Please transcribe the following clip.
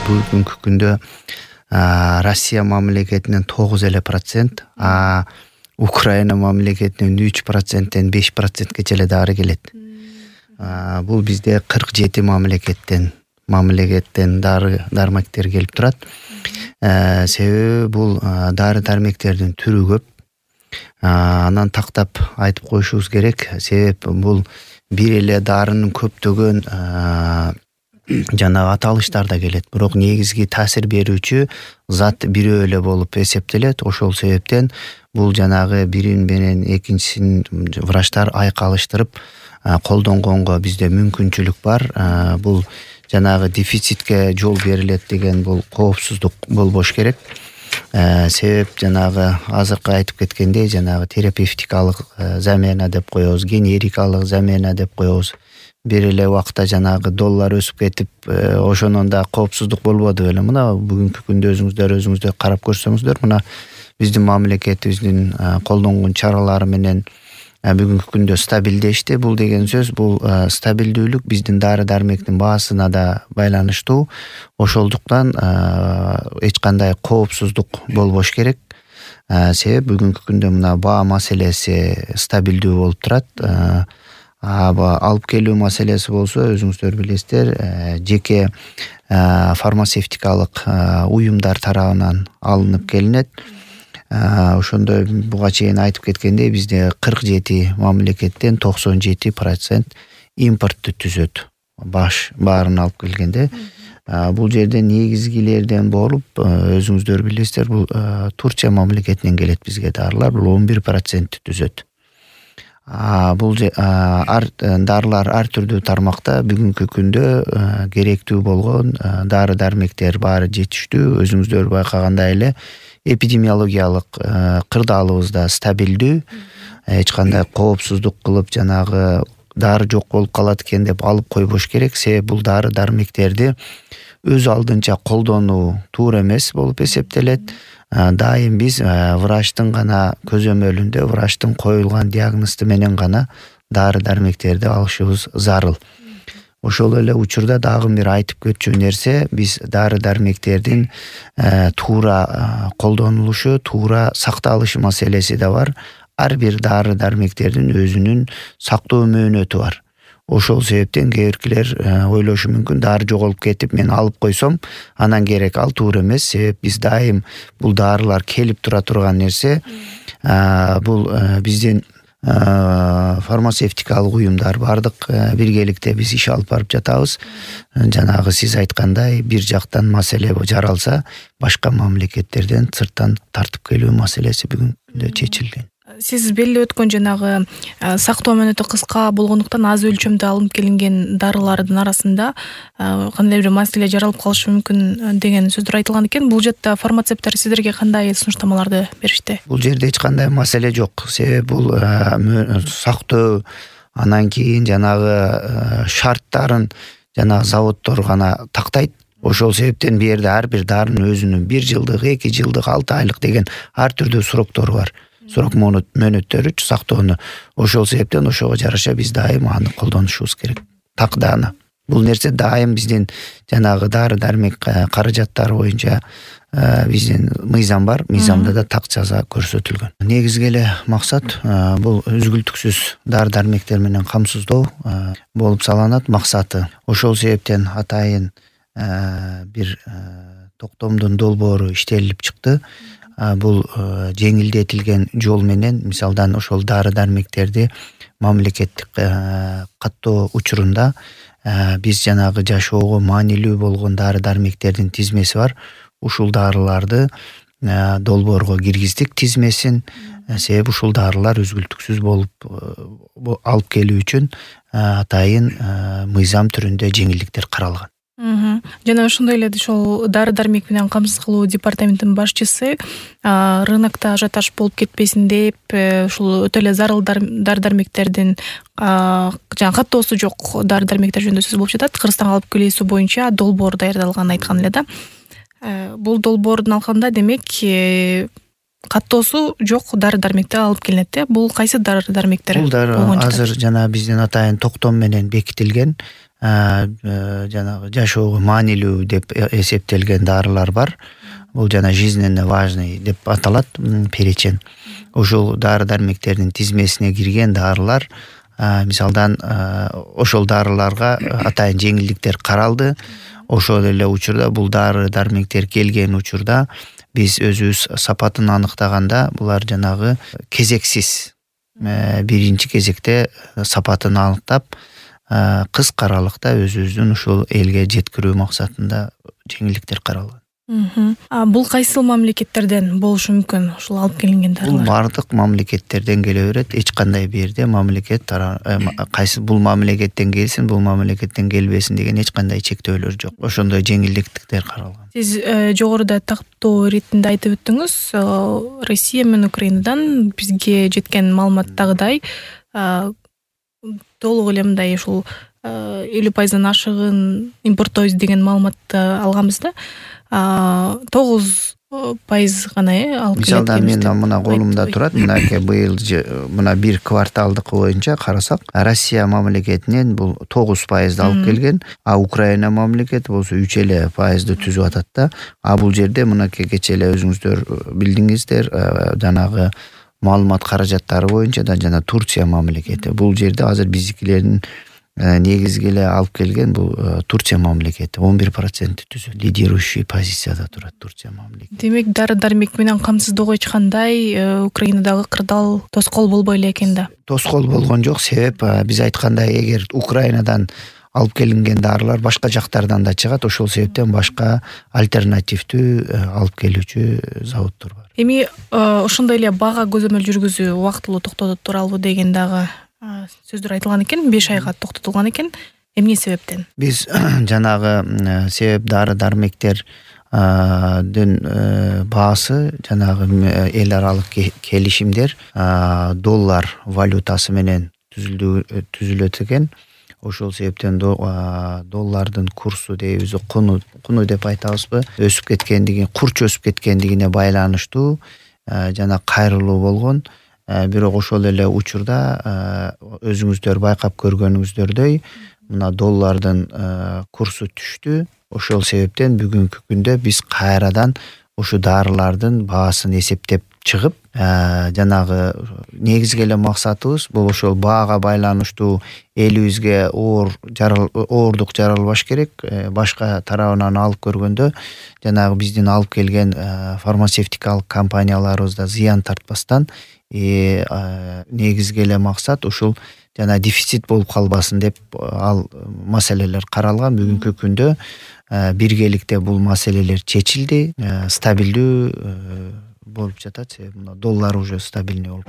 бүгүнкү күндө Россия мамлекетинен 9%, Украина мамлекетинен 3%тен 5%ке чейин дары келет. Бул бизде 47 мамлекеттен дары-дармектер келип турат. Себеби бул дары-дармектердин түрү көп. Анан тактап айтып коюшубуз керек. Себеп бул бир эле дарынын көптөгөн жанагы аталыштарда келет. Бирок негизги таасир берүүчү зат бирөө эле болуп эсептелет. Ошол себептен бул жанагы бирин менен экинчисин врачтар айкалыштырып колдонгонго бизде мүмкүнчүлүк бар. Бул жанагы дефицитке жол берилет деген бул коопсуздук болбош керек. Себеп жанагы азыркы айтып кеткендей жанагы терапевтикалык замена деп коебуз, генерикалык замена деп коебуз. Бир эле убакта жанагы доллар өсүп кетип, ошонун да коопсуздук болбоду беле. Мына бүгүнкү күндө өзүңүздөр карап көрсөңүздөр, мына биздин мамлекетибиздин колдонгон чаралары менен бүгүнкү күндө стабилдешти. Бул деген сөз, бул стабилдүүлүк биздин дары-дармектин баасына да байланыштуу. Ошолдуктан эч кандай коопсуздук болбош керек. Себеп бүгүнкү күндө мына баа маселеси стабилдүү болуп турат. Алып келүү маселеси болсо, өзүңүздөр билесиздер, жеке фармацевтикалык уюмдар тарабынан алынып келинет. Ошондой буга чейин айтып кеткендей, бизде 47 мамлекеттен 97% импортту түзөт. Баарын алып келгенде, бул жерде негизгилерден болуп, өзүңүздөр билесиздер, бул Турция мамлекетинен келет бизге дарылар, бул 11% түзөт. Бул дарылар ар түрдүү тармакта бүгүнкү күндө керектүү болгон дары-дармектер баары жетиштүү. Өзүңүздөр байкагандай эле эпидемиологиялык кырдаалыбыз да стабилдүү. Эч кандай коопсуздук кылып жанагы дары жок болуп калат экен деп алып койбош керек. Себеп бул дары-дармектерди өз алдынча колдонуу туура эмес болуп эсептелет. Дайым биз врачтын гана көзөмөлүндө, врачтын коюлган диагнозу менен гана дары-дармектерди алышыбыз зарыл. Ошол эле учурда дагы бир айтып кетчү нерсе, биз дары-дармектердин туура колдонулушу, туура сакталышы маселеси да бар. Ар бир дары-дармектердин өзүнүн сактоо мөөнөтү бар. Ошол себептен кээ биркилер ойлошу мүмкүн, дары жоголуп кетип мен алып койсом, анан керек. Ал туура эмес. Себеп биз дайым бул дарылар келип тура турган нерсе. Бул биздин фармацевтикалык уюмдар бардык биргеликте биз иш алып барып жатабыз. Жанагы сиз айткандай бир жактан маселе жаралса, башка мамлекеттерден сырттан тартып келүү маселеси бүгүнкү чечилген. Сиз белгилеп өткөн жанагы сактоо мөөнөтү кыска болгондуктан аз өлчөмдө алынып келинген дарылардын арасында кандай бир маселе жаралып калышы мүмкүн деген сөздөр айтылган экен. Бул жакта фармацевттер сиздерге кандай сунуштамаларды беришти? Бул жерде эч кандай маселе жок. Себеп бул сактоо, анан кийин жанагы шарттарын жанагы заводдор гана тактайт. Ошол себептен бу жерде ар бир дарынын өзүнүн 1 жылдык, 2 жылдык, 6 айлык деген ар түрдүү сроктору бар. Срок мөөнөттөрү сактоону. Ошол себептен ошого жараша биз дайым аны колдонушубуз керек. Такдааны. Бул нерсе дайым биздин жанагы дары-дармек каражаттары боюнча биздин мыйзам бар. Мыйзамда да так жаза көрсөтүлгөн. Негизги эле максат бул үзгүлтүксүз дары-дармектер менен камсыздоо болуп салынат максаты. Ошол себептен атайын бир токтомдун долбоору иштелип чыкты. Бул жеңилдетилген жол менен, мисалдан ошол дары-дармектерди мамлекеттик каттоо учурунда биз жанагы жашоого маанилүү болгон дары-дармектердин тизмеси бар. Ушул дарыларды долбоорго киргиздик тизмесин. Себеби ушул дарылар үзгүлтүксүз болуп алып келүү үчүн атайын мыйзам түрүндө жеңилдиктер каралган. Жана ошондой эле ошол дары-дармек менен камсыз кылуу департаментинин башчысы рынокто ажиотаж болуп кетпесин деп, ушул өтө эле зарыл дары-дармектердин жана каттоосу жок дары-дармектер жөнүндө сөз болуп жатат. Кыргызстанга алып келүүсү боюнча долбоор даярдалганын айткан эле да. Бул долбоордун алкагында демек каттоосу жок дары дармектер алып келинет да. Бул кайсы дары дармектер? Бул дары азыр жана биздин атайын токтом менен бекитилген жанагы жашоого маанилүү деп эсептелген дарылар бар. Бул жана жизненно важный деп аталат перечень. Ошол дары дармектердин тизмесине кирген дарылар, мисалдан ошол дарыларга атайын жеңилдиктер каралды. Ошол эле учурда бул дары дармектер келген учурда биз өзүбүз сапатын аныктаганда булар жанагы кезексиз биринчи кезекте сапатын аныктап кыска аралыкта өзүбүздүн ушул элге жеткирүү максатында жеңилдиктер каралган. Бул кайсы мамлекеттерден болушу мүмкүн ушул алып келинген дарылар? Бул бардык мамлекеттерден келе берет. Эч кандай бир жерде мамлекет кайсы бул мамлекеттен келсин, бул мамлекеттен келбесин деген эч кандай чектөөлөр жок. Ошондой жеңилдиктер каралган. Сиз жогоруда тактоо иретинде айтып өттүңүз, Россия менен Украинадан бизге жеткен маалыматтагыдай толук эле мындай ушул 50% ашыгын импорттойбуз деген маалыматты алганбыз да. 9% гана алып келет. Мисалда мен мына колумда турат. Мынаке быйыл мына бир кварталдыкы боюнча карасак, Россия мамлекетинен бул 9% алып келген, Украина мамлекети болсо 3% түзүп атат да. Бул жерде мынаке кече эле өзүңүздөр билдиңиздер, жанагы маалымат каражаттары боюнча да жана Турция мамлекети. Бул жерде азыр биздикилердин негизги эле алып келген бул Турция мамлекети 11% түзөт. Лидирующий позицияда турат Турция мамлекети. Демек дары дармек менен камсыздоого эч кандай Украинадагы кырдаал тоскоол болбой эле экен да. Тоскоол болгон жок, себеп биз айткандай эгер Украинадан алып келинген дарылар башка жактардан да чыгат, ошол себептен башка альтернативдүү алып келүүчү заводдор бар. Эми ошондой эле бага көзөмөл жүргүзүү убактылуу токтотуп туралбы деген дагы сөздөр айтылган экен, 5 айга токтотулган экен. Эмне себептен? Биз жанагы себеп дары дармектердин баасы жанагы эл аралык келишимдер доллар валютасы менен түзүлөт экен. Ошол себептен доллардын курсу дейбиз, куну деп айтабызбы, өсүп кеткендиги, курч өсүп кеткендигине байланыштуу жана кайрылуу болгон. Бирок ошол эле учурда өзүңүздөр байкап көргөнүңүздөрдөй мына доллардын курсу түштү. Ошол себептен бүгүнкү күндө биз кайрадан ушу дарылардын баасын эсептеп чыгып, жанагы негизги эле максатыбыз бул ошол баага байланыштуу элибизге оордук жаралбаш керек. Башка тарабынан алып көргөндө жанагы биздин алып келген фармацевтикалык компанияларыбызда зыян тартпастан негизги эле максат ушул жана дефицит болуп калбасын деп ал маселелер каралган. Бүгүнкү күндө биргеликте бул маселелер чечилди, стабилдүү болуп жатат. Доллар уже стабильный болуп.